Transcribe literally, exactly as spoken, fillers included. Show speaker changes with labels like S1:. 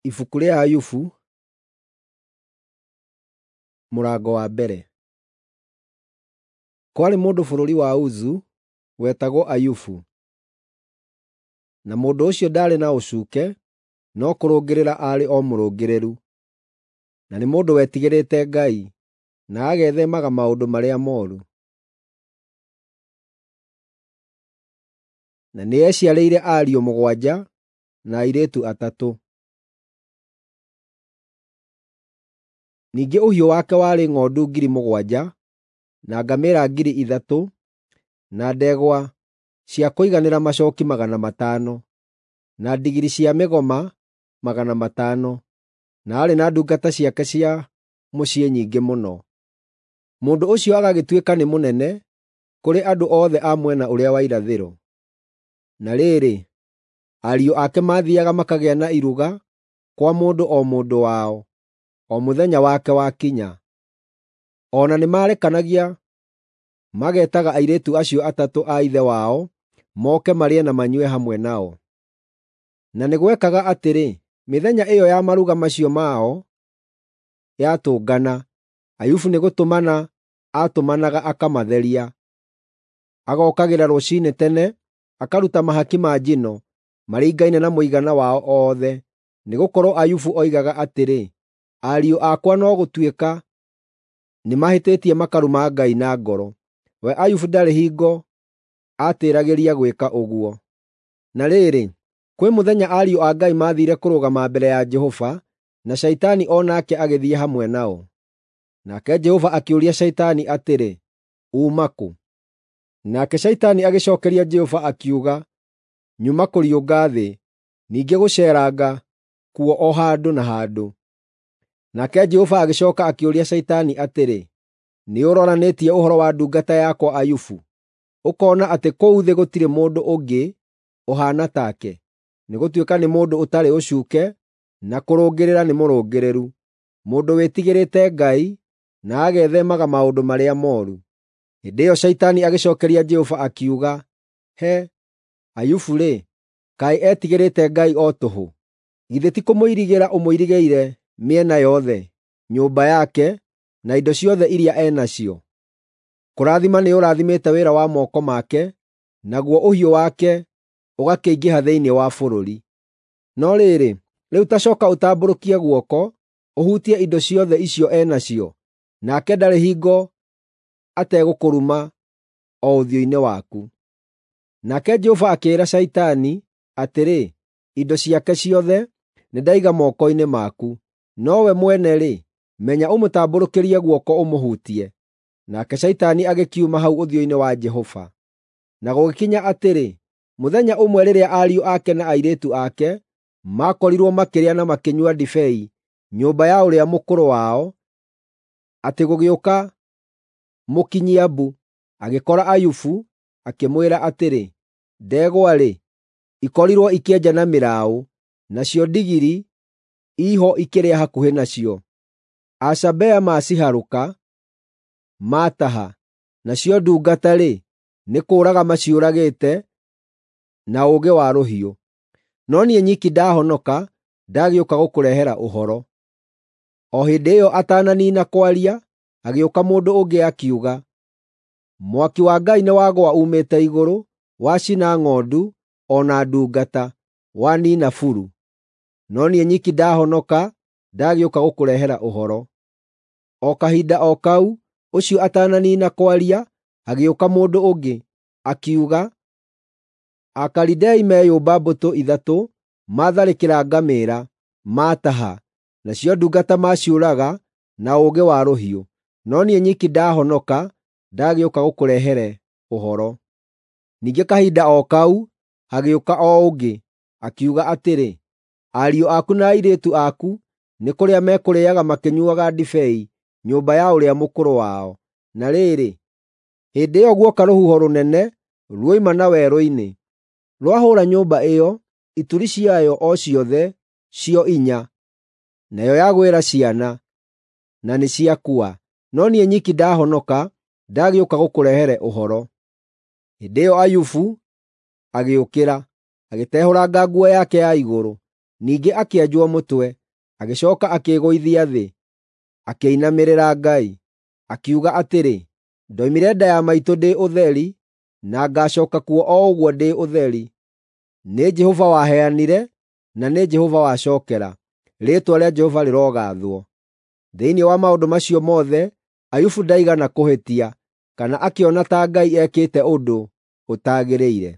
S1: Ibuku rĩa Ayubu mũrango wa mbere. Kwarĩ mũndũ bũrũri wa Uzu wetagwo Ayubu, na mũndũ ũcio ndaarĩ na ũcuuke no kũrũngĩrĩra aarĩ o mũrũngĩrĩru, na nĩ mũndũ wetigĩrĩte Ngai, na agetheemaga maũndũ marĩa mooru. Na nĩeciarĩire ariũ mũgwanja na airĩtu atatũ. Ningĩ ũhiũ wake warĩ ng'ondu ngiri mũgwanja, na ngamĩĩra ngiri ithatũ, na ndegwa cia kũiganĩra macooki magana matano, na ndigiri cia mĩgoma magana matano, na aarĩ na ndungata ciake cia mũciĩ nyingĩ mũno. Mũndũ ũcio agagĩtuĩka nĩ mũnene kũrĩ andũ othe a mwena ũrĩa wa irathĩro. Na rĩrĩ, ariũ ake maathiiaga makagĩa na iruga kwa mũndũ o mũndũ wao, o mũthenya wake wakinya. O na nĩmarekanagia mageetaga airĩtu acio atatũ a ithe wao moke marĩe na manyue hamwe nao. Na nĩ gwekaga atĩrĩ, mĩthenya ĩyo ya maruga macio mao yatũngana, Ayubu nĩgũtũmana aatũmanaga akamatheria. Agookagĩra rũciinĩ tene akaruta mahaki ma njino maringaine na mũigana wao othe, nĩgũkorwo Ayubu oigaga atĩrĩ, “Ariũ akwa no gũtuĩka nĩmahĩtĩtie makaruma Ngai na ngoro.” We Ayubu ndarĩ hingo aatĩĩragĩria gwĩka ũguo. Na rĩrĩ, kwĩ mũthenya ariũ a Ngai maathiire kũrũgama mbere ya Jehova, na Shaitani o nake agĩthiĩ hamwe nao. Nake Jehova akĩũria Shaitani atĩrĩ, “Uuma kũ?” Nake Shaitani agĩcookeria Jehova akiuga, “Nyuma kũriũnga thĩ, ningĩ gũceeranga kuo o handũ na handũ.” Nake Jehova agĩcooka akĩũria Shaitani atĩrĩ, “Nĩũroranĩtie ũhoro wa ndungata yakwa Ayubu, ũkoona atĩ kũu thĩ gũtirĩ mũndũ ũngĩ ũhaana take, nĩgũtuĩka nĩ mũndũ ũtarĩ ũcuuke na kũrũngĩrĩra nĩ mũrũngĩrĩru, mũndũ wĩtigĩrĩte Ngai na agetheemaga maũndũ marĩa mooru?” Hĩndĩ ĩyo Shaitani agĩcookeria Jehova akiuga, “He, Ayubu-rĩ, kaĩ etigĩrĩte Ngai o tũhũ? Githĩ ti kũmũirigĩra ũmũirigĩire mĩena yothe, nyũmba yake na indo ciothe iria e nacio? Kũrathima nĩũrathimĩte wĩra wa moko make, naguo ũhiũ wake ũgakĩingĩha thĩinĩ wa bũrũri. No rĩrĩ, rĩu ta cooka ũtambũrũkie guoko ũhutie indo ciothe icio e nacio, nake ndarĩ hingo ategũkũruma o ũthiũ-inĩ waku.” Nake Jehova akĩĩra Shaitani atĩrĩ, “Indo ciake ciothe nĩndaiga moko-inĩ maku, nowe mwene-rĩ, menya ũmũtambũrũkĩrie guoko ũmũhutie.” Nake Shaitani agĩkiuma hau ũthiũ-inĩ wa Jehova. Na gũgĩkinya atĩrĩ, mũthenya ũmwe rĩrĩa ariũ ake na airĩtu ake maakorirwo makĩrĩa na makĩnyua ndibei nyũmba ya ũrĩa mũkũrũ wao, atĩ gũgĩũka mũkinyia-mbu agĩkora Ayubu, akĩmwĩra atĩrĩ, “Ndegwa-rĩ, ikorirwo ikĩenja na mĩraũ, nacio ndigiri iho ikĩrĩa hakuhĩ nacio. Asabea maciharũka, maataha, nacio ndungata-rĩ, nĩ kũũraga maciũragĩte na ũũgĩ wa rũhiũ. No niĩ nyiki ndahonoka, ndagĩũka gũkũrehera ũhoro.” O hĩndĩ ĩyo atananiina kwaria, hagĩũka mũndũ ũngĩ akiuga, “Mwaki wa Ngai nĩwagũa uumĩte igũrũ, wacina ng'ondu o na ndungata, waniina buru. No niĩ nyiki ndahonoka, ndagĩũka gũkũrehera ũhoro.” O kahinda o kau, ũcio atananiina kwaria, hagĩũka mũndũ ũngĩ, akiuga, “Akalidei meyũmba mbũtũ ithatũ, maatharĩkĩra ngamĩĩra, maataha, nacio ndungata maciũraga na ũũgĩ wa rũhiũ. No niĩ nyiki ndahonoka, ndagĩũka gũkũrehere ũhoro.” Ningĩ kahinda o kau hagĩũka o ũngĩ, akiuga atĩrĩ, “Ariũ aku na airĩtu aku nĩ kũrĩa mekũrĩĩaga makĩnyuuaga ndibei nyũmba ya ũrĩa mũkũrũ wao. Na rĩrĩ, hĩndĩ ĩyo guoka rũhuho rũnene ruoima na werũ-inĩ, rwahũũra nyũmba ĩyo, ituri ciayo o ciothe cio inya, nayo yagwĩra ciana, na nĩciakua. No niĩ nyiki ndahonoka, ndagĩũka gũkũrehere ũhoro.” Hĩndĩ ĩyo Ayubu agĩũkĩra, agĩtehũranga nguo yake ya igũrũ, Ningĩ akĩenjwo mũtwe, agĩcooka akĩĩgũithia thĩ, akĩinamĩrĩra Ngai. Akiuga atĩrĩ, “Ndoimire nda ya maitũ ndĩ ũtheri, na ngaacooka kuo o ũguo ndĩ ũtheri. Nĩ Jehova waheanire, na nĩ Jehova wacookera; rĩĩtwa rĩa Jehova rĩrogaathwo.” Thĩinĩ wa maũndũ macio mothe, Ayubu ndaigana kũhĩtia, kana akĩona ta Ngai ekĩte ũndũ ũtagĩrĩire.